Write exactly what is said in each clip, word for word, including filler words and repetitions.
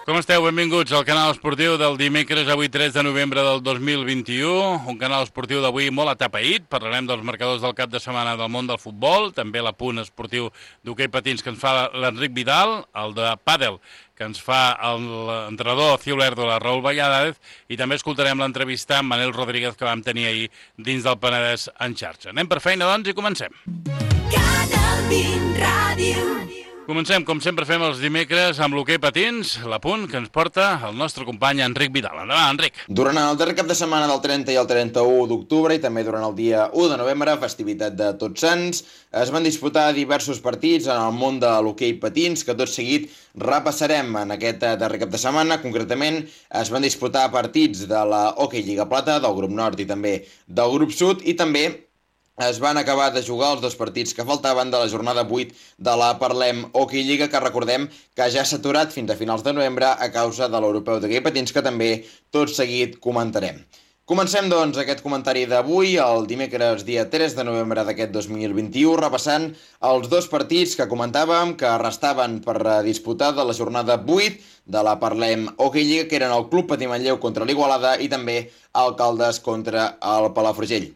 Com esteu? Benvinguts al canal esportiu del dimecres, avui tres de novembre del dos mil vint-i-u. Un canal esportiu d'avui molt atapeït. Parlarem dels marcadors del cap de setmana del món del futbol, també l'apunt esportiu d'hoquei patins que ens fa l'Enric Vidal, el de pàdel que ens fa l'entrenador Ciulerdo, la Raül Valladares, i també escoltarem l'entrevista amb Manel Rodríguez que vam tenir ahir dins del Penedès en xarxa. Anem per feina, doncs, i comencem. Canal vint Ràdio. Comencem, com sempre fem els dimecres, amb l'hoquei patins, l'apunt que ens porta el nostre company Enric Vidal. Endavant, Enric. Durant el darrer cap de setmana del trenta i el trenta-u d'octubre i també durant el dia u de novembre, festivitat de Tots Sants, es van disputar diversos partits en el món de l'hoquei patins que tot seguit repassarem en aquest darrer cap de setmana. Concretament, es van disputar partits de la Hockey Lliga Plata, del grup nord i també del grup sud, i també es van acabar de jugar els dos partits que faltaven de la jornada vuit de la Parlem Hockey Lliga, que recordem que ja s'ha aturat fins a finals de novembre a causa de l'Europeu d'Hoquei Patins, que també tot seguit comentarem. Comencem, doncs, aquest comentari d'avui, el dimecres dia tres de novembre d'aquest dos mil vint-i-u, repassant els dos partits que comentàvem que restaven per disputar de la jornada vuit de la Parlem Hockey Lliga, que eren el Club Patí Manlleu contra l'Igualada i també el Caldes contra el Palafrugell.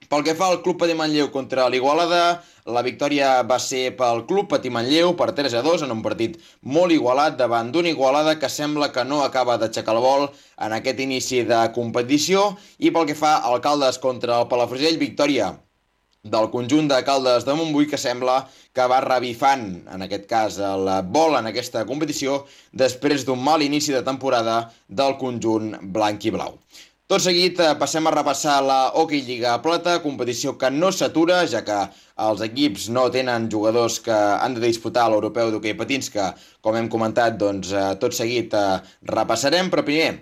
Pel que fa al Club Patí Manlleu contra l'Igualada, la victòria va ser pel Club Patí Manlleu per tres a dos en un partit molt igualat davant d'una Igualada que sembla que no acaba d'aixecar el vol en aquest inici de competició. I pel que fa al Caldes contra el Palafrugell, victòria del conjunt de Caldes de Montbui, que sembla que va revifant, en aquest cas, el vol en aquesta competició després d'un mal inici de temporada del conjunt blanc i blau. Tot seguit passem a repassar la Hockey Lliga Plata, competició que no s'atura, ja que els equips no tenen jugadors que han de disputar l'Europeu d'Hoquei Patins, que, com hem comentat, doncs, tot seguit repassarem, però primer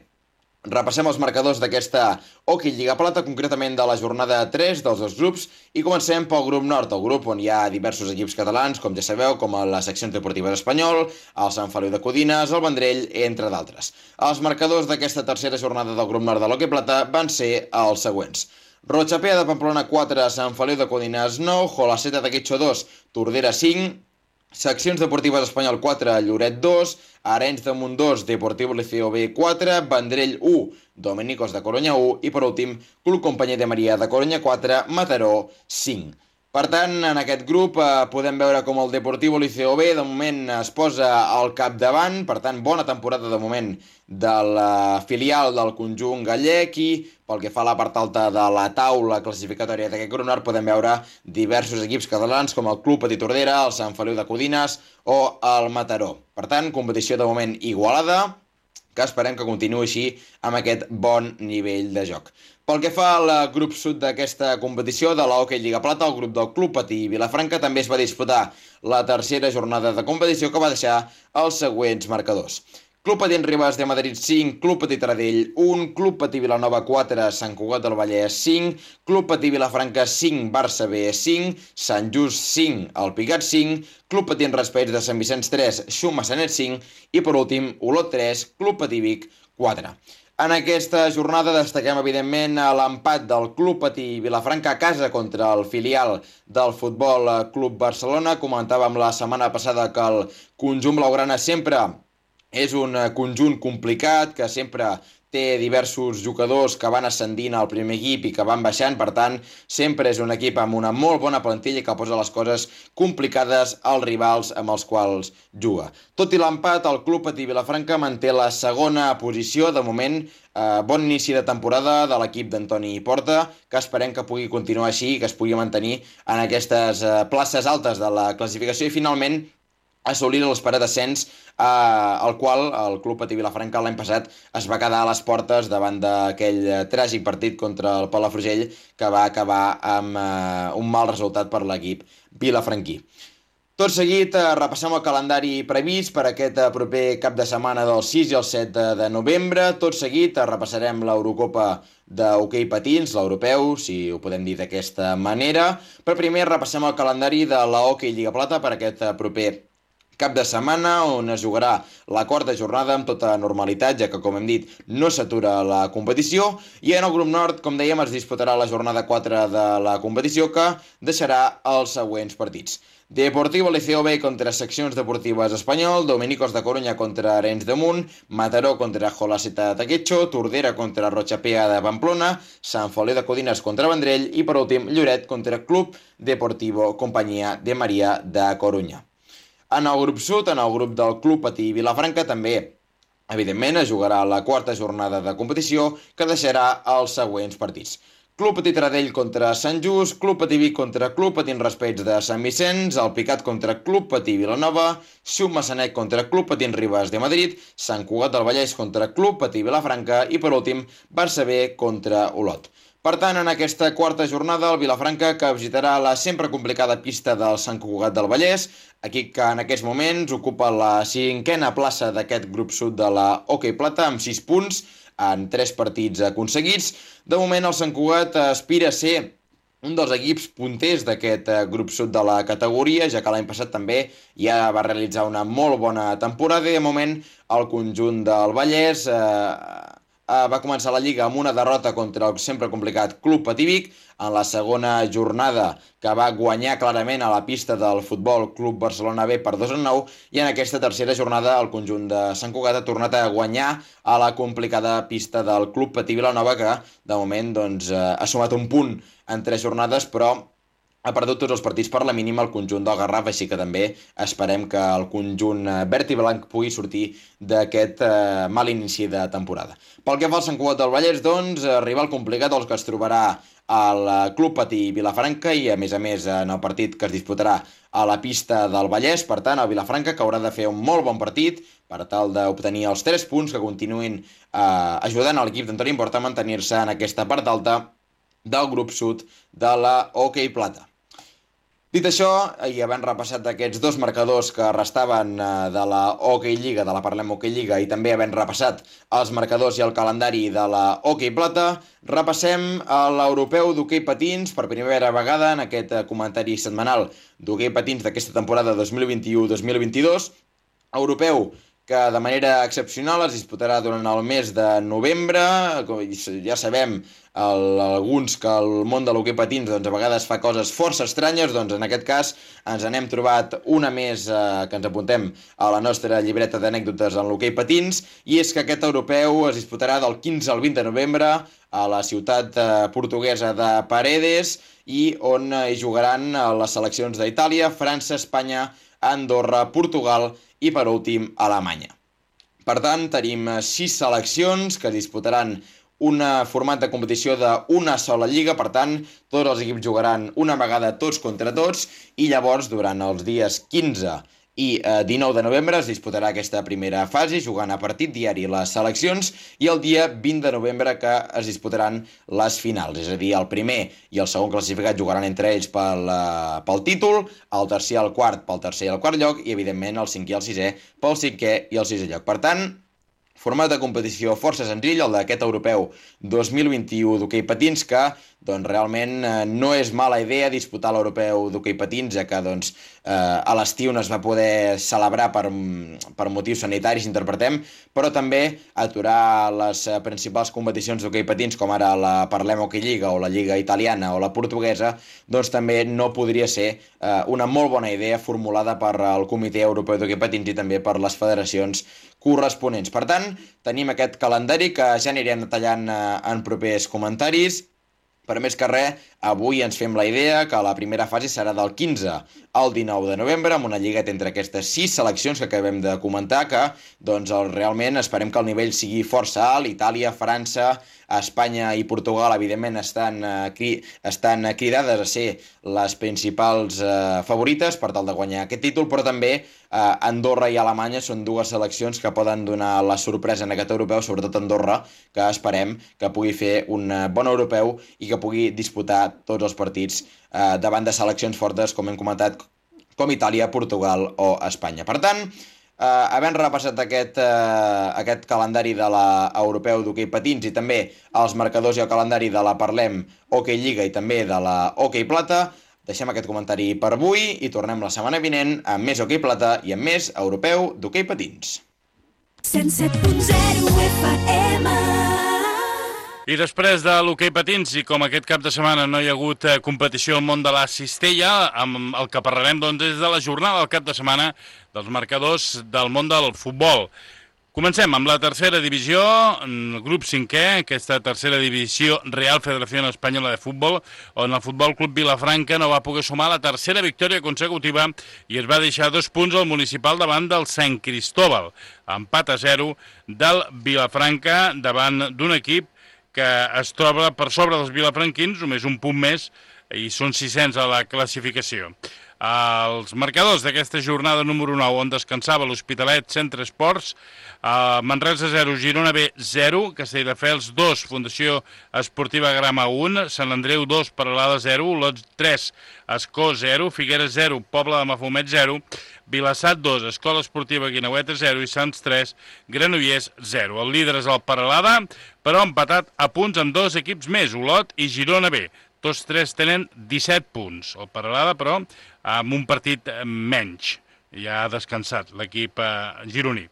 repassem els marcadors d'aquesta Hockey Lliga Plata, concretament de la jornada tres dels dos grups, i comencem pel grup nord, el grup on hi ha diversos equips catalans, com ja sabeu, com la secció deportiva d'Espanyol, el Sant Feliu de Codines, el Vendrell, entre d'altres. Els marcadors d'aquesta tercera jornada del grup nord de l'Hockey Plata van ser els següents. Rochapea de Pamplona quatre, Sant Feliu de Codines nou, Jolaceta de Quitxo dos, Tordera cinc, Seccions Deportives Espanyol quatre, Lloret dos, Arenys de Munt dos, Deportivo Liceo B quatre, Vendrell u, Dominicos de Corunya u i, per últim, Club Companyia de Maria de Corunya quatre, Mataró cinc. Per tant, en aquest grup eh, podem veure com el Deportivo Liceo B de moment es posa al capdavant, per tant, bona temporada de moment de la filial del conjunt gallec, i pel que fa a la part alta de la taula classificatòria d'aquest grup nord podem veure diversos equips catalans com el Club Patí Tordera, el Sant Feliu de Codines o el Mataró. Per tant, competició de moment igualada, que esperem que continuï així amb aquest bon nivell de joc. Pel que fa al grup sud d'aquesta competició de la Hockey Lliga Plata, el grup del Club Patí Vilafranca també es va disputar la tercera jornada de competició, que va deixar els següents marcadors. Club Patí Ribes de Madrid cinc, Club Patí Taradell un, Club Patí Vilanova quatre, Sant Cugat del Vallès cinc, Club Patí Vilafranca cinc, Barça B cinc, Sant Just cinc, El Pigat cinc, Club Patí Raspeig de Sant Vicenç tres, Xum Massanet cinc i, per últim, Olot tres, Club Patí Vic quatre. En aquesta jornada destaquem, evidentment, l'empat del Club Patí Vilafranca a casa contra el filial del Futbol Club Barcelona. Comentàvem la setmana passada que el conjunt blaugrana sempre és un conjunt complicat, que sempre té diversos jugadors que van ascendint al primer equip i que van baixant, per tant, sempre és un equip amb una molt bona plantilla que posa les coses complicades als rivals amb els quals juga. Tot i l'empat, el Club Patí Vilafranca manté la segona posició, de moment, eh, bon inici de temporada de l'equip d'Antoni Porta, que esperem que pugui continuar així i que es pugui mantenir en aquestes eh, places altes de la classificació i, finalment, assolir l'esperat ascens, eh, al qual el Club Patí Vilafranca l'any passat es va quedar a les portes davant d'aquell tràgic partit contra el Palafrugell, que va acabar amb eh, un mal resultat per l'equip vilafranquí. Tot seguit eh, repassem el calendari previst per aquest eh, proper cap de setmana del sis i el set de novembre. Tot seguit eh, repassarem l'Eurocopa d'hoquei patins, l'europeu, si ho podem dir d'aquesta manera. Però primer repassem el calendari de la Hockey Lliga Plata per aquest eh, proper cap de setmana on es jugarà la quarta jornada amb tota normalitat, ja que, com hem dit, no s'atura la competició. I en el grup nord, com dèiem, es disputarà la jornada quatre de la competició, que deixarà els següents partits. Deportivo Liceo B contra Seccions Deportives Espanyol, Dominicos de Coruña contra Arenys de Munt, Mataró contra Jolaceta de Quetxo, Tordera contra Rochapea de Pamplona, Sant Feliu de Codines contra Vendrell i, per últim, Lloret contra Club Deportivo Companyia de Maria de Coruña. En el grup sud, en el grup del Club Patí Vilafranca, també, evidentment, es jugarà la quarta jornada de competició, que deixarà els següents partits. Club Patí Taradell contra Sant Just, Club Patí Vic contra Club Patí Raspeig de Sant Vicenç, el Picat contra Club Patí Vilanova, Xum Massanet contra Club Patí Ribes de Madrid, Sant Cugat del Vallès contra Club Patí Vilafranca i, per últim, Barça B contra Olot. Per tant, en aquesta quarta jornada, el Vilafranca, que visitarà la sempre complicada pista del Sant Cugat del Vallès, equip que en aquests moments ocupa la cinquena plaça d'aquest grup sud de la Hockey Plata amb sis punts, en tres partits aconseguits. De moment, el Sant Cugat aspira a ser un dels equips punters d'aquest grup sud de la categoria, ja que l'any passat també ja va realitzar una molt bona temporada i, de moment, el conjunt del Vallès eh, va començar la Lliga amb una derrota contra el sempre complicat Club Patí Vic, en la segona jornada, que va guanyar clarament a la pista del Futbol Club Barcelona B per dos a nou, i en aquesta tercera jornada el conjunt de Sant Cugat ha tornat a guanyar a la complicada pista del Club Patí Vilanova, que de moment doncs, ha sumat un punt en tres jornades, però ha perdut tots els partits per la mínima el conjunt del Garraf, així que també esperem que el conjunt verd i blanc pugui sortir d'aquest eh, mal inici de temporada. Pel que fa al Sant Cugat del Vallès, doncs, rival complicat els que es trobarà al Club Patí Vilafranca i, a més a més, en el partit que es disputarà a la pista del Vallès. Per tant, el Vilafranca, que haurà de fer un molt bon partit per tal d'obtenir els tres punts que continuïn eh, ajudant a l'equip d'Antoni Porta a mantenir-se en aquesta part alta del grup sud de la Hockey Plata. Dit això, i havent repassat aquests dos marcadors que restaven de la Hockey Lliga, de la Parlem Hockey Lliga, i també havent repassat els marcadors i el calendari de la Hockey Plata, repassem l'Europeu d'Hockey Patins per primera vegada en aquest comentari setmanal d'Hockey Patins d'aquesta temporada dos mil vint-i-u dos mil vint-i-dos. Europeu que de manera excepcional es disputarà durant el mes de novembre. Ja sabem el, alguns que el món de l'hoquei patins doncs, a vegades fa coses força estranyes, doncs en aquest cas ens n'hem trobat una més eh, que ens apuntem a la nostra llibreta d'anècdotes en l'hoquei patins, i és que aquest europeu es disputarà del quinze al vint de novembre a la ciutat eh, portuguesa de Paredes, i on eh, hi jugaran les seleccions d'Itàlia, França, Espanya, Andorra, Portugal i, per últim, Alemanya. Per tant, tenim sis seleccions que disputaran un format de competició d'una sola lliga, per tant, tots els equips jugaran una vegada tots contra tots, i llavors, durant els dies quinze i dinou de novembre es disputarà aquesta primera fase, jugant a partit diari les seleccions, i el dia vint de novembre que es disputaran les finals, és a dir, el primer i el segon classificat jugaran entre ells pel, pel títol, el tercer i el quart pel tercer i el quart lloc, i evidentment el cinquè i el sisè pel cinquè i el sisè lloc. Per tant, format de competició força senzill, el d'aquest europeu dos mil vint-i-u d'hoquei patins, que doncs, realment eh, no és mala idea disputar l'europeu d'hoquei patins, ja que doncs, eh, a l'estiu no es va poder celebrar per, per motius sanitaris, interpretem, però també aturar les eh, principals competicions d'hoquei patins, com ara la Parlem Hockey Lliga o la Lliga Italiana o la Portuguesa, doncs també no podria ser eh, una molt bona idea formulada per el Comitè Europeu d'Hoquei Patins i també per les federacions corresponents. Per tant, tenim aquest calendari que ja anirem detallant eh, en propers comentaris. Per més que res, avui ens fem la idea que la primera fase serà del quinze al dinou de novembre, amb una lligueta entre aquestes sis seleccions que acabem de comentar, que doncs, realment esperem que el nivell sigui força alt. Itàlia, França, Espanya i Portugal, evidentment, estan, eh, cri estan cridades a ser les principals eh, favorites per tal de guanyar aquest títol, però també eh, Andorra i Alemanya són dues seleccions que poden donar la sorpresa en aquest europeu, sobretot Andorra, que esperem que pugui fer un bon europeu i que pugui disputar tots els partits eh, davant de seleccions fortes, com hem comentat, com Itàlia, Portugal o Espanya. Per tant, eh, havent repassat aquest, eh, aquest calendari de l'europeu d'hoquei patins i també els marcadors i el calendari de la Parlem Hockey Lliga i també de la Hockey Plata, Deixem aquest comentari per avui i tornem la setmana vinent amb més hoquei plata i amb més europeu d'hoquei patins. cent set punt zero F M. I després de l'hoquei patins, i com aquest cap de setmana no hi ha hagut eh, competició al món de la cistella, amb el que parlarem doncs, és de la jornada del cap de setmana dels marcadors del món del futbol. Comencem amb la tercera divisió, grup cinquè, aquesta tercera divisió Real Federació Espanyola de Futbol, on el Futbol Club Vilafranca no va poder sumar la tercera victòria consecutiva i es va deixar dos punts al municipal davant del Sant Cristóbal. Empat a zero del Vilafranca davant d'un equip que es troba per sobre dels vilafranquins, només un punt més, i són sis-cents a la classificació. Els marcadors d'aquesta jornada número nou, on descansava l'Hospitalet Centre Esports, uh, Manresa zero, Girona B zero, Castelldefels dos, Fundació Esportiva Grama un, Sant Andreu dos, Peralada zero, Olot tres, Escó zero, Figueres zero, Pobla de Mafumet zero, Vilassat dos, Escola Esportiva Guineueta zero i Sants tres, Granollers zero. El líder és el Peralada, però empatat a punts amb dos equips més, Olot i Girona B. Tots tres tenen disset punts. El Peralada, però, amb un partit menys. Ja ha descansat l'equip eh, gironí.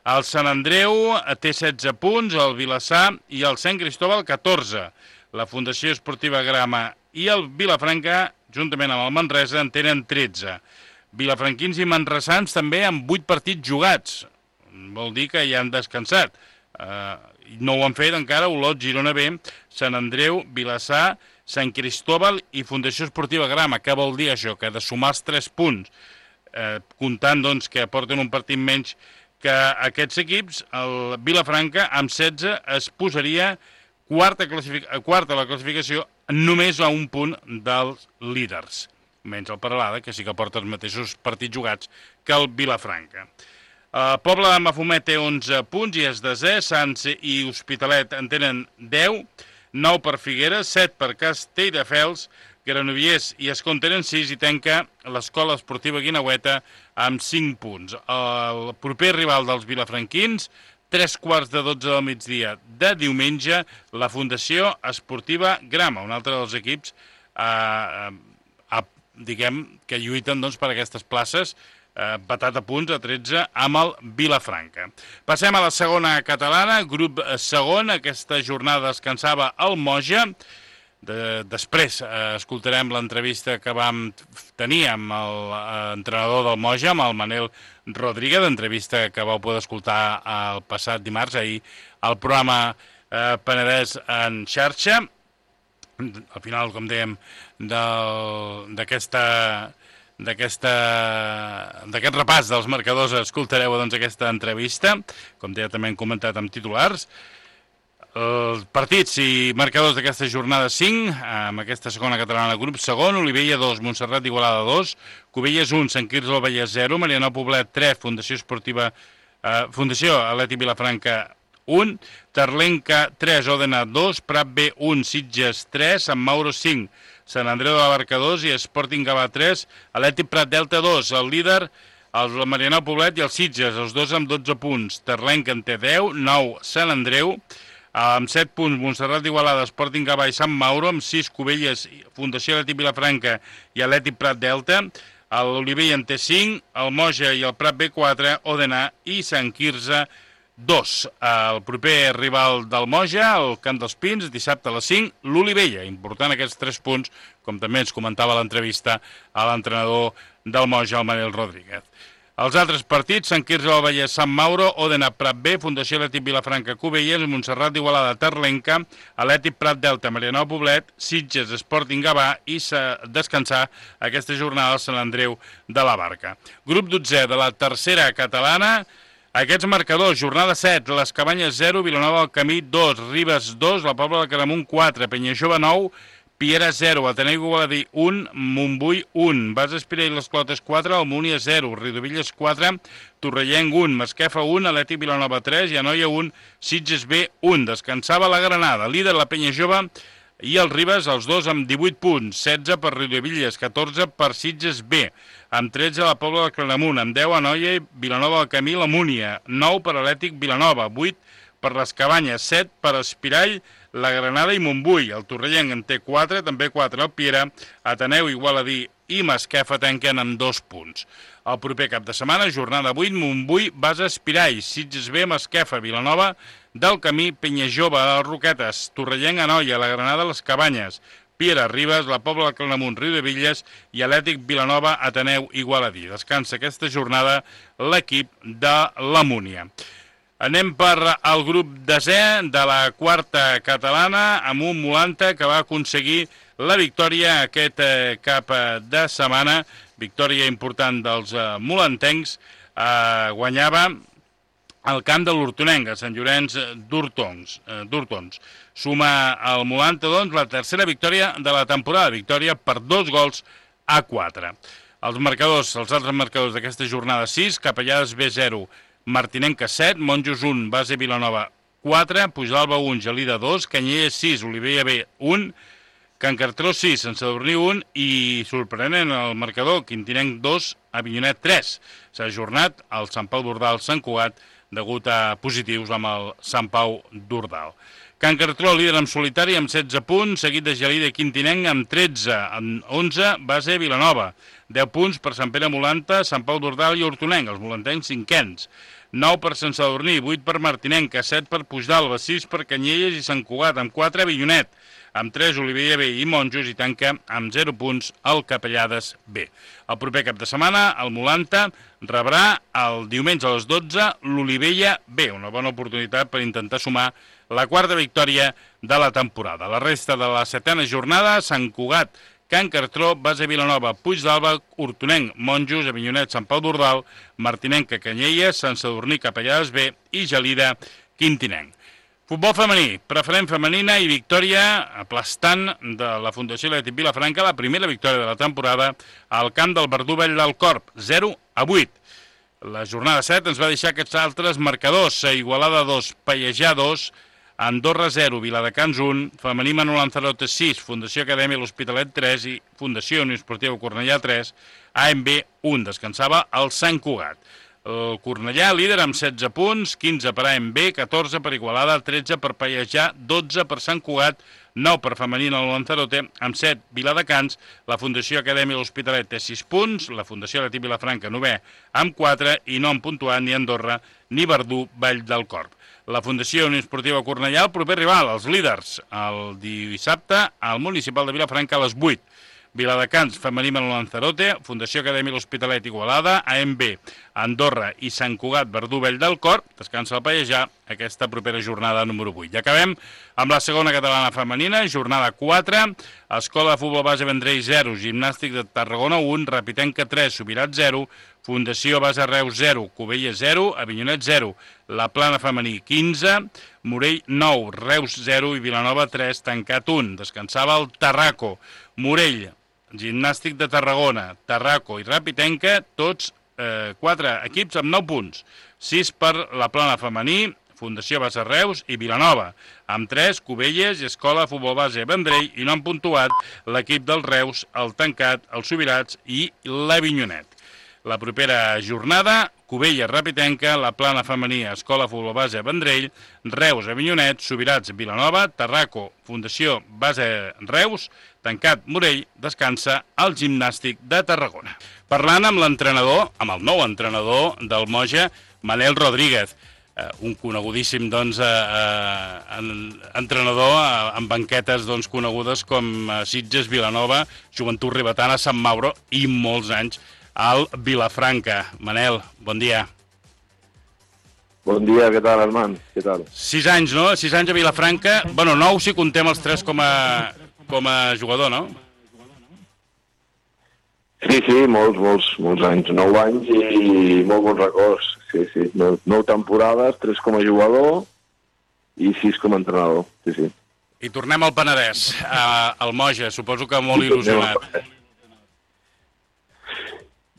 El Sant Andreu té setze punts, el Vilassar i el Sant Cristóbal catorze. La Fundació Esportiva Grama i el Vilafranca, juntament amb el Manresa, en tenen tretze. Vilafranquins i manresans també amb vuit partits jugats. Vol dir que ja han descansat. Eh, no ho han fet encara Olot, Girona B, Sant Andreu, Vilassar, Sant Cristóbal i Fundació Esportiva Grama. Què vol dir això? Que de sumar els tres punts, eh, comptant doncs, que porten un partit menys que aquests equips, el Vilafranca amb setze es posaria quarta, quarta a la classificació només a un punt dels líders, menys el Peralada, que sí que porta els mateixos partits jugats que el Vilafranca. El Pobla de Mafumet té onze punts i és desè, Sants i Hospitalet en tenen deu, nou per Figueres, set per Castelldefels, Granollers i Escó en tenen sis i tanca l'Escola Esportiva Guineueta amb cinc punts. El proper rival dels vilafranquins, tres quarts de dotze del migdia de diumenge, la Fundació Esportiva Grama, un altre dels equips eh, eh, diguem que lluiten doncs, per aquestes places, eh, batat a punts a tretze amb el Vilafranca. Passem a la segona catalana, grup segon. Aquesta jornada descansava el Moja. De, després eh, escoltarem l'entrevista que vam tenir amb l'entrenador del Moja, amb el Manel Rodríguez, entrevista que vau poder escoltar el passat dimarts, ahir, al programa eh, Penedès en xarxa. Al final, com dèiem, d'aquesta d'aquest repàs dels marcadors escoltareu doncs, aquesta entrevista, com deia també hem comentat amb titulars. Els partits i marcadors d'aquesta jornada cinc, amb aquesta segona catalana grup segon, Olivella dos, Montserrat d'Igualada dos, Cubelles un, Sant Quirze del Vallès zero, Marianao Poblet tres, Fundació Esportiva eh, Fundació Atlètic Vilafranca un, Terlenca tres, Òdena dos, Prat B un, Sitges tres, Sant Mauro cinc, Sant Andreu de la Barca dos i Sporting Gavà tres, Atlètic Prat Delta dos, el líder, el Marianao Poblet i els Sitges, els dos amb dotze punts, Terlenca en té deu, nou Sant Andreu, amb set punts Montserrat d'Igualada, Sporting Gavà i Sant Mauro, amb sis Cubelles, Fundació Atlètic Vilafranca i Atlètic Prat Delta, l'Olivella en té cinc, el Moja i el Prat B quatre, Òdena i Sant Quirze dos. El proper rival del Moja, el Camp dels Pins, dissabte a les cinc, l'Olivella. Important aquests tres punts, com també ens comentava l'entrevista a l'entrenador del Moja, el Manel Rodríguez. Els altres partits, Sant Quirze del Vallès, Sant Mauro, Òdena, Prat B, Fundació Atlètic Vilafranca, Cubelles, Montserrat d'Igualada, Terlenca, Atlètic Prat Delta, Marianao Poblet, Sitges, Sporting Gavà i descansar aquesta jornada al Sant Andreu de la Barca. Grup dotzè de la tercera catalana. Aquests marcadors, jornada set, les Cabanyes zero, Vilanova del Camí dos, Ribes dos, la Pobla de Claramunt quatre, Penyajove nou, Piera zero, Ateneu Igualadí un, Montbui un, Bas Espira i les Clotes quatre, Almúnia zero, Riudebitlles quatre, Torrellenc un, Masquefa un, Atlètic Vilanova tres i Anoia un, Sitges B un. Descansava la Granada, líder la Penyajove i els Ribes, els dos amb divuit punts, setze per Riudebitlles, catorze per Sitges B, amb tretze la Pobla de Claramunt, amb deu Anoia i Vilanova del Camí, la Múnia, nou per Atlètic Vilanova, vuit per les Cabanyes, set per Espirall, la Granada i Montbui. El Torrellenc en té quatre, també quatre el Piera, Ateneu, Igualadí i Masquefa tanquen amb dos punts. El proper cap de setmana, jornada vuit, Montbui, Basa, Espirall, Sitges B, Masquefa, Vilanova del Camí, Penyajove, les Roquetes, Torrellenc, Anoia, la Granada, les Cabanyes, Piera, Ribes, la Pobla del Claramunt, Riudevilles i Atlètic Vilanova, Ateneu, Igualadí. Descansa aquesta jornada l'equip de la Múnia. Anem per al grup desè de la quarta catalana amb un Molanta que va aconseguir la victòria aquest eh, cap de setmana. Victòria important dels eh, molantencs. Eh, guanyava al camp de l'Hortonenc, a Sant Llorenç d'Hortons. Eh, d'Hortons. Suma al Molanta, doncs, la tercera victòria de la temporada. Victòria per dos gols a quatre. Els marcadors, els altres marcadors d'aquesta jornada sis, Capellades B zero, Martinenca set, Monjos un, Base Vilanova quatre, Puigdàlber un, Gelida dos, Canyelles sis, Olivella B un, Can Cartró sis, Sant Sadurní un i, sorprenent el marcador, Quintinenc dos, Avinyonet tres. S'ha ajornat el Sant Pau d'Ordal Sant Cugat degut a positius amb el Sant Pau d'Ordal. Can Cartró, líder en solitari, amb setze punts, seguit de Gelida i Quintinenc amb tretze, amb onze, Base Vilanova. deu punts per Sant Pere Molanta, Sant Pau d'Ordal i Hortonenc, els molantencs cinquens. nou per Sant Sadurní, vuit per Martinenca, set per Puigdàlber, sis per Canyelles i Sant Cugat, amb quatre Avinyonet, amb tres Olivella B i Monjos i tanca amb zero punts el Capellades B. El proper cap de setmana, el Molanta rebrà el diumenge a les dotze l'Olivella B, una bona oportunitat per intentar sumar la quarta victòria de la temporada. La resta de la setena jornada, Sant Cugat, Can Cartró, Base Vilanova, Puigdàlber, Hortonenc, Monjos, Avinyonet, Sant Pau d'Ordal, Martinenca, Canyelles, Sant Sadurní, Capellades B i Gelida, Quintinenc. Futbol femení, preferent femenina i victòria aplastant de la Fundació Atlètic Vilafranca, la primera victòria de la temporada al camp del Verdú Vell del Corp, zero a vuit. La jornada set ens va deixar aquests altres marcadors, Igualada dos, Pallejà dos, Andorra zero, Viladecans un, Femení Manol Lanzarote sis, Fundació Acadèmia L'Hospitalet tres i Fundació Unió Esportiva Cornellà tres, A M B un, descansava el Sant Cugat. El Cornellà, líder amb setze punts, quinze per A M B, catorze per Igualada, tretze per Pallejà, dotze per Sant Cugat, nou per Femení Manol Lanzarote, amb set Viladecans, la Fundació Acadèmia L'Hospitalet té sis punts, la Fundació Atlètic Vilafranca novè amb quatre i no han puntuat ni Andorra ni Verdú Vall del Corp. La Fundació Unió Esportiva Cornellà, el proper rival, els líders, el dissabte al Municipal de Vilafranca a les vuit. Viladecans, Femení Manol Lanzarote, Fundació Acadèmia L'Hospitalet Igualada, A M B, Andorra i Sant Cugat, Verdú Vell del Corp, descansa el Pallejà, aquesta propera jornada número vuit. I acabem amb la segona catalana femenina, jornada quatre, Escola de Futbol Base Vendrell zero, Gimnàstic de Tarragona un, Rapitenca tres, Subirats zero, Fundació Base Reus zero, Cubelles zero, Avinyonet zero, La Plana Femení quinze, Morell nou, Reus zero i Vilanova tres, tancat un. Descansava el Tarraco. Morell, Gimnàstic de Tarragona, Tarraco i Rapitenca, tots eh, quatre equips amb nou punts. sis per La Plana Femení, Fundació Base Reus i Vilanova. Amb tres, Cubelles i Escola de Futbol Base Vendrell i no han puntuat l'equip del Reus, el Tancat, els Subirats i l'Avinyonet. La propera jornada, Cubelles, Rapitenca, La Plana Femení, Escola Futbol Base Vendrell, Reus, Avinyonet, Subirats, Vilanova, Tarraco, Fundació Base Reus, Tancat, Morell, descansa el Gimnàstic de Tarragona. Parlant amb l'entrenador, amb el nou entrenador del Moja, Manel Rodríguez, eh, un conegudíssim doncs, eh, eh, entrenador eh, amb banquetes doncs, conegudes com eh, Sitges, Vilanova, Joventut Ribetana, Sant Mauro i molts anys al Vilafranca. Manel, bon dia. Bon dia, què tal, Armand? Què tal? Sis anys, no? Sis anys a Vilafranca. Bueno, nou si contem els tres com a, com a jugador, no? Sí, sí, molts, molts, molts anys. Nou anys i molt bons records. Sí, sí. Nou, nou temporades, tres com a jugador i sis com a entrenador. Sí, sí. I tornem al Penedès, al Moja. Suposo que molt il·lusionat.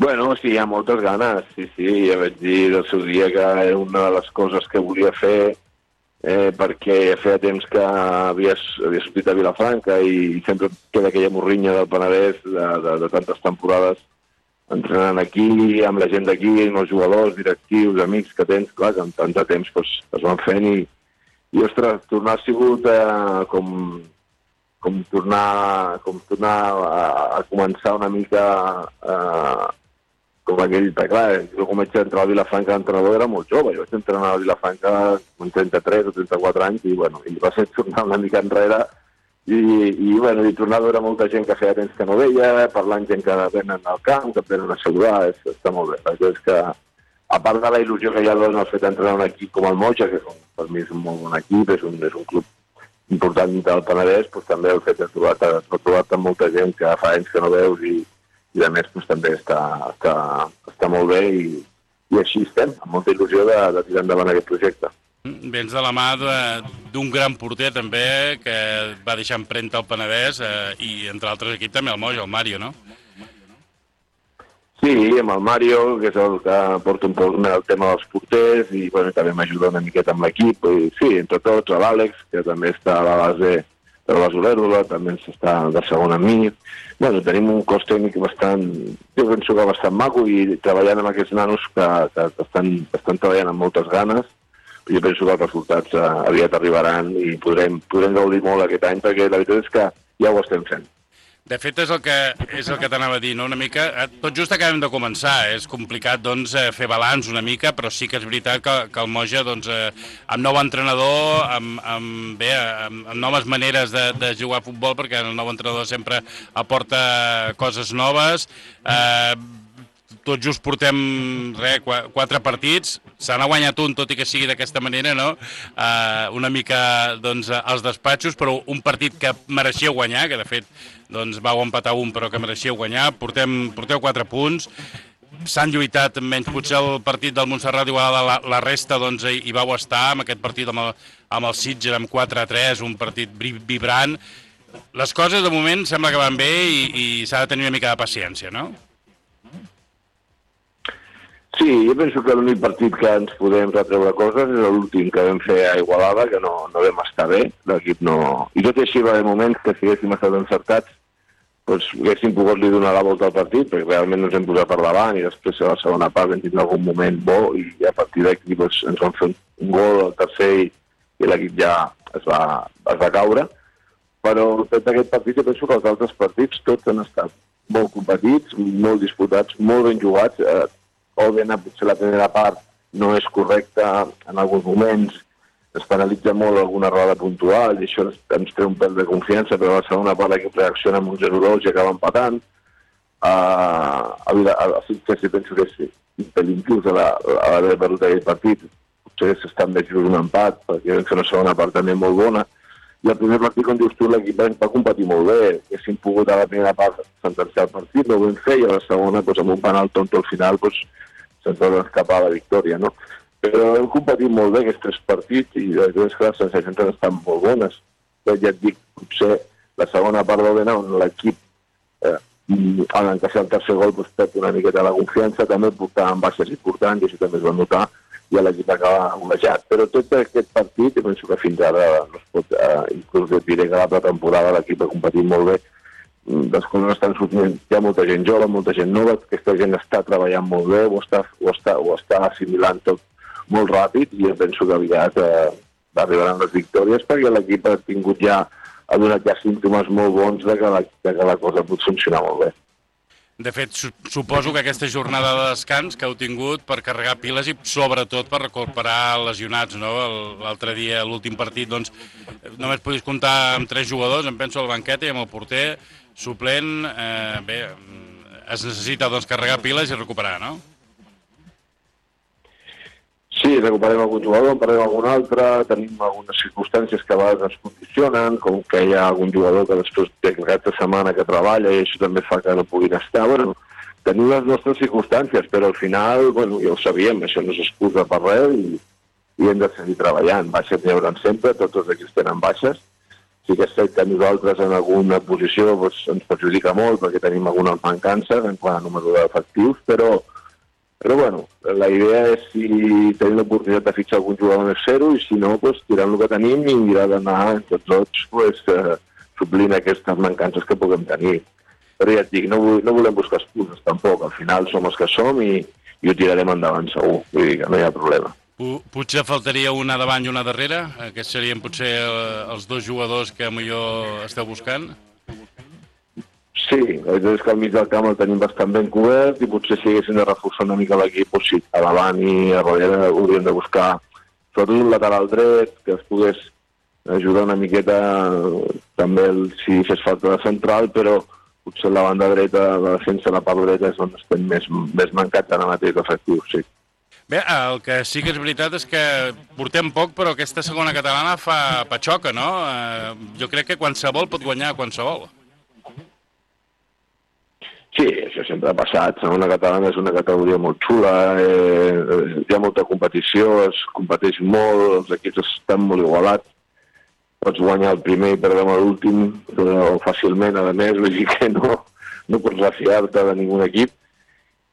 Bueno, sí, hi ha moltes ganes, sí, sí, ja vaig dir el seu dia que era una de les coses que volia fer eh, perquè feia temps que havia, havia sortit a Vilafranca i sempre queda aquella morrinya del Penedès de, de, de tantes temporades entrenant aquí, amb la gent d'aquí, amb els jugadors, directius, amics que tens, clar, que amb tant de temps doncs, es van fent i, i ostres, tornar ha sigut eh, com, com tornar, com tornar a, a començar una mica eh, com aquell, clar, jo com vaig entrar a Vilafranca d'entrenador era molt jove, jo vaig entrenar a Vilafranca amb trenta-tres o trenta-quatre anys i, bueno, i va ser tornar una mica enrere i, i, bueno, i tornar a veure molta gent que feia temps que no veia, parlant gent que venen al camp, que venen a saludar, és, està molt bé. Perquè és que, a part de la il·lusió que ja dona el fet d'entrenar un equip com el Moja, que és un, per mi és un molt bon equip, és un, és un club important del Penedès, doncs també el fet de trobar-te trobar amb molta gent que fa anys que no veus i i a més doncs, també està, està, està molt bé i, i així estem, amb molta il·lusió de, de tirar endavant aquest projecte. Vens de la mà d'un gran porter també que va deixar empremta al Penedès eh, i entre altres equips també el Moja, el Mario, no? Sí, amb el Mario, que és el que porta un poc el tema dels porters i bueno, també m'ajuda una miqueta amb l'equip. I, sí, entre tots, l'Àlex, que també està a la base de la Basolèrola, també està de segon amb mi. Bueno, tenim un cos tècnic bastant, jo penso que bastant maco i treballant amb aquests nanos que, que, que estan, estan treballant amb moltes ganes. Jo penso que els resultats uh, aviat arribaran i podrem, podrem gaudir molt aquest any perquè la veritat és que ja ho estem fent. De fet, és el que, és el que t'anava a dir, no? Una mica, tot just acabem de començar, és complicat doncs, fer balanç una mica, però sí que és veritat que, que el Moja, doncs, amb nou entrenador, amb, amb, bé, amb, amb noves maneres de, de jugar a futbol, perquè el nou entrenador sempre aporta coses noves, eh, tot just portem re, quatre partits, se n'ha guanyat un, tot i que sigui d'aquesta manera, no? Uh, una mica doncs, als despatxos, però un partit que mereixia guanyar, que de fet doncs, vau empatar un, però que mereixia guanyar, portem, porteu quatre punts, s'han lluitat menys potser el partit del Montserrat Igualada, la, la resta doncs, hi, hi vau estar, amb aquest partit amb el, amb el Sitges, amb quatre a tres, un partit vibrant. Les coses de moment sembla que van bé i, i s'ha de tenir una mica de paciència, no? Sí, jo penso que l'únic partit que ens podem retreure coses és l'últim que vam fer a Igualada, que no, no vam estar bé, l'equip no... I tot i així va haver moments que si haguéssim estat encertats, doncs haguéssim pogut li donar la volta al partit, perquè realment ens hem posat per davant i després a la segona part vam tindre algun moment bo i a partir d'aquí doncs, ens van fer un gol al tercer i, i l'equip ja es va, es va caure. Però tot aquest partit jo penso que els altres partits tots han estat molt competits, molt disputats, molt ben jugats. Eh, Òbviament, potser la primera part no és correcta en alguns moments, es penalitza molt alguna errada puntual i això ens treu un pèl de confiança, però a la segona part l'equip reacciona amb un zero dos i acaba empatant. Uh, a Sitges penso que és impel·linclús a l'haver perdut aquell partit, potser s'està més just un empat, perquè vam fer una segona part també molt bona. I el primer partit, com dius tu, l'equip va competir molt bé, haguéssim pogut a la primera part sentenciar el partit, no ho vam fer, i a la segona, doncs, amb un penal tonto al final, doncs, se'ns va escapar la victòria, no? Però hem competit molt bé aquests tres partits i les dues que les sensacions estan molt bones. Però ja et dic, potser la segona part va anar on l'equip, eh, en encaixar el tercer gol, doncs, perd una miqueta la confiança, també portàvem baixes importants i això també es va notar, i l'equip acaba golejat. Però tot aquest partit, jo penso que fins ara no es pot, eh, inclús et diré que la pretemporada l'equip ha competit molt bé, les coses estan sortint, hi ha molta gent jove, molta gent nova, aquesta gent està treballant molt bé, ho està, ho està, ho està assimilant tot molt ràpid i jo penso que aviat eh, arribaran les victòries perquè l'equip ha tingut ja, ha donat ja símptomes molt bons de que, la, de que la cosa pot funcionar molt bé. De fet, suposo que aquesta jornada de descans que heu tingut per carregar piles i sobretot per recuperar lesionats, no? L'altre dia, l'últim partit, doncs, només podis comptar amb tres jugadors, em penso al banquet i amb el porter suplent. Eh, bé, es necessita doncs, carregar piles i recuperar, no? Sí, recuperem algun jugador, en parlem algun altre, tenim algunes circumstàncies que a vegades ens condicionen, com que hi ha algun jugador que després té aquesta setmana que treballa i això també fa que no puguin estar. Bueno, tenim les nostres circumstàncies, però al final, bueno, ja ho sabíem, això no s'excusa per res i, i hem de seguir treballant. Baixes n'hi haurà sempre, tots els equips tenen baixes. Sí que és cert que nosaltres en alguna posició doncs, ens perjudica molt perquè tenim algunes mancances en quant a número d'efectius, però Però, bueno, la idea és si tenim l'oportunitat de fitxar algun jugador més zero i si no, pues, tirant el que tenim i mirar d'anar entre tots pues, eh, suplint aquestes mancances que puguem tenir. Però ja et dic, no, no volem buscar excuses tampoc. Al final som els que som i, i ho tirarem endavant segur. Vull dir que no hi ha problema. Potser faltaria una davant i una darrere? Aquests serien potser els dos jugadors que millor esteu buscant? Sí, la veritat és que al mig del camp el tenim bastant ben cobert i potser si haguéssim de reforçar una mica l'equip, doncs sí, a davant i a darrere hauríem de buscar sobretot un lateral dret que es pogués ajudar una miqueta també el, si fes falta de central, però potser la banda dreta, la defensa, la part dreta és on estem més, més mancats ara mateix d'efectius, sí. Bé, el que sí que és veritat és que portem poc, però aquesta segona catalana fa patxoca, no? Eh, jo crec que qualsevol pot guanyar qualsevol. Sí, això sempre ha passat. Segona catalana és una categoria molt xula, eh, hi ha molta competició, es competeix molt, els equips estan molt igualats. Pots guanyar el primer i perdre l'últim, però fàcilment, a més, vull dir que no, no pots refiar-te de ningun equip.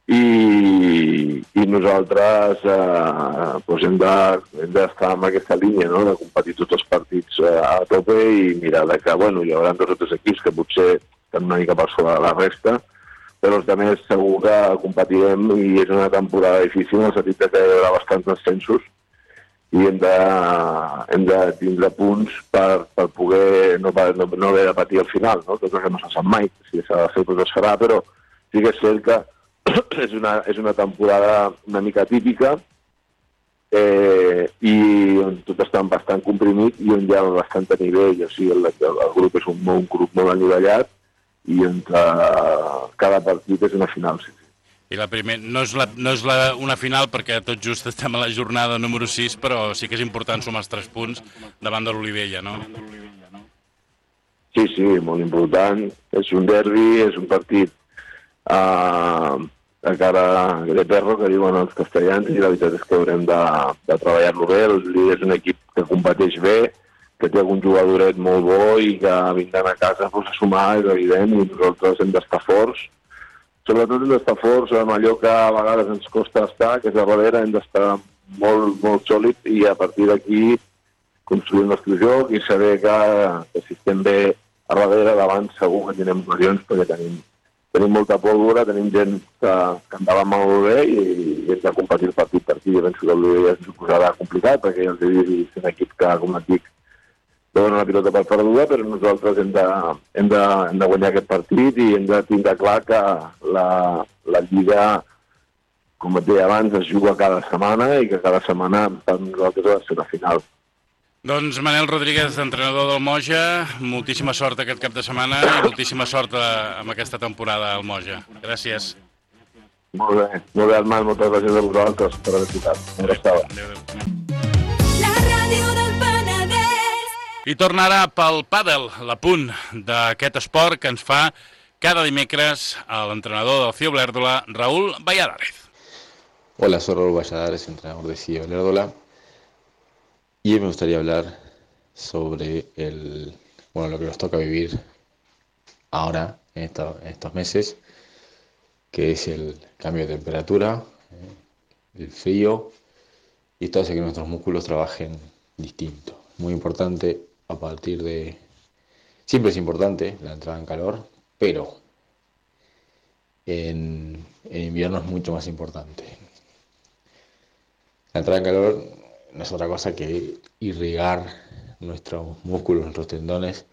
I, i nosaltres eh, doncs hem d'estar en aquesta línia, no? De competir tots els partits eh, a tope i mirar de que bueno, hi haurà dos o tres equips que potser estan una mica per sobre de la resta, però els altres segur que competirem i és una temporada difícil en el sentit que hi haurà bastants descensos i hem de, hem de tindre punts per, per poder no, no, no haver de patir al final, no? Tot el que no se sap mai, si s'ha de fer doncs es farà, però sí que és cert que és una, és una temporada una mica típica eh, i on tot està bastant comprimit i on hi ha bastant nivell, o sigui, el, el, el grup és un, un grup molt anivellat i on cada partit és una final, sí. I la primer, no és, la, no és la, una final perquè tot just estem a la jornada número sis, però sí que és important sumar els tres punts davant de l'Olivella, no? Sí, sí, molt important. És un derbi, és un partit a, a cara de perro, que diuen els castellans, i la veritat és que haurem de, de treballar-lo bé. El líder és un equip que competeix bé, que té algun jugadoret molt bo i que vindran a casa pues, a sumar, és evident, i nosaltres hem d'estar forts. Sobretot hem d'estar forts amb allò que a vegades ens costa estar, que és a darrere, hem d'estar molt, molt sòlid i a partir d'aquí construir el nostre joc i saber que, que si estem bé a darrere, davant segur que tenim ocasions perquè tenim Tenim molta pólvora, tenim gent que, que andava molt bé i, i hem de competir el partit per aquí. Jo penso que l'Olivella ens ho posarà complicat perquè ja els he dit, és un equip que, com et dic, donen la pilota per perduda, però nosaltres hem de, hem, de, hem de guanyar aquest partit i hem de tindre clar que la, la Lliga, com et deia abans, es juga cada setmana i que cada setmana per nosaltres ha de ser la final. Doncs Manel Rodríguez, entrenador del Moja, moltíssima sort aquest cap de setmana i moltíssima sort amb aquesta temporada al Moja. Gràcies. Molt bé, molt bé, Armand, moltes gràcies a vosaltres per haver tocat. Adéu. La ràdio del Penedès. I torna ara pel pàdel, l'apunt d'aquest esport que ens fa cada dimecres l'entrenador del C I O Olèrdola, Raúl Valladares. Hola, soy Raúl Valladares, entrenador de C I O Olèrdola. Y me gustaría hablar sobre el, bueno, lo que nos toca vivir ahora, en, esta, en estos meses, que es el cambio de temperatura, eh, el frío, y esto hace que nuestros músculos trabajen distinto. Muy importante a partir de... Siempre es importante la entrada en calor, pero en, en invierno es mucho más importante. La entrada en calor no es otra cosa que irrigar nuestros músculos, nuestros tendones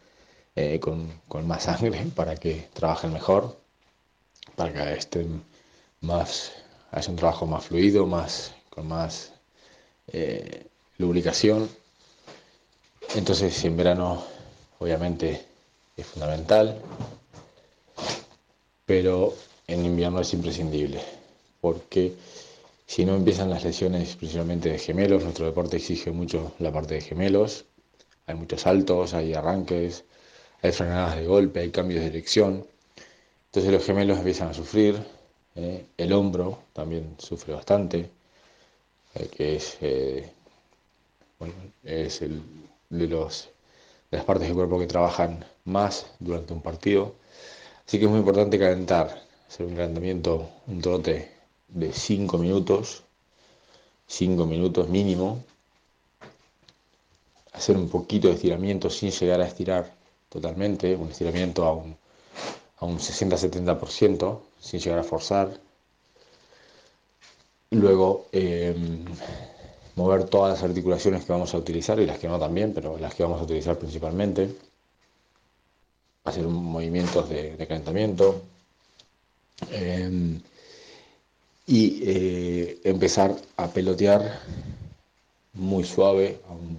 eh, con, con más sangre para que trabajen mejor, para que estén más, haya un trabajo más fluido, más, con más eh, lubricación. Entonces en verano obviamente es fundamental, pero en invierno es imprescindible, porque si no empiezan las lesiones principalmente de gemelos. Nuestro deporte exige mucho la parte de gemelos. Hay muchos saltos, hay arranques, hay frenadas de golpe, hay cambios de dirección. Entonces los gemelos empiezan a sufrir. Eh, el hombro también sufre bastante, eh, que es, eh, bueno, es el, de, los, de las partes del cuerpo que trabajan más durante un partido. Así que es muy importante calentar, hacer un calentamiento, un trote de cinco minutos, cinco minutos mínimo, hacer un poquito de estiramiento sin llegar a estirar totalmente, un estiramiento a un, a un sesenta a setenta por ciento, sin llegar a forzar. Luego, eh, mover todas las articulaciones que vamos a utilizar y las que no también, pero las que vamos a utilizar principalmente, hacer movimientos de, de calentamiento eh, y eh, empezar a pelotear muy suave, a un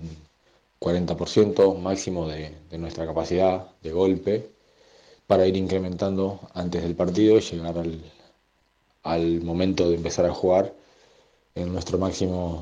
cuarenta por ciento máximo de, de nuestra capacidad de golpe, para ir incrementando antes del partido y llegar al, al momento de empezar a jugar en nuestro máximo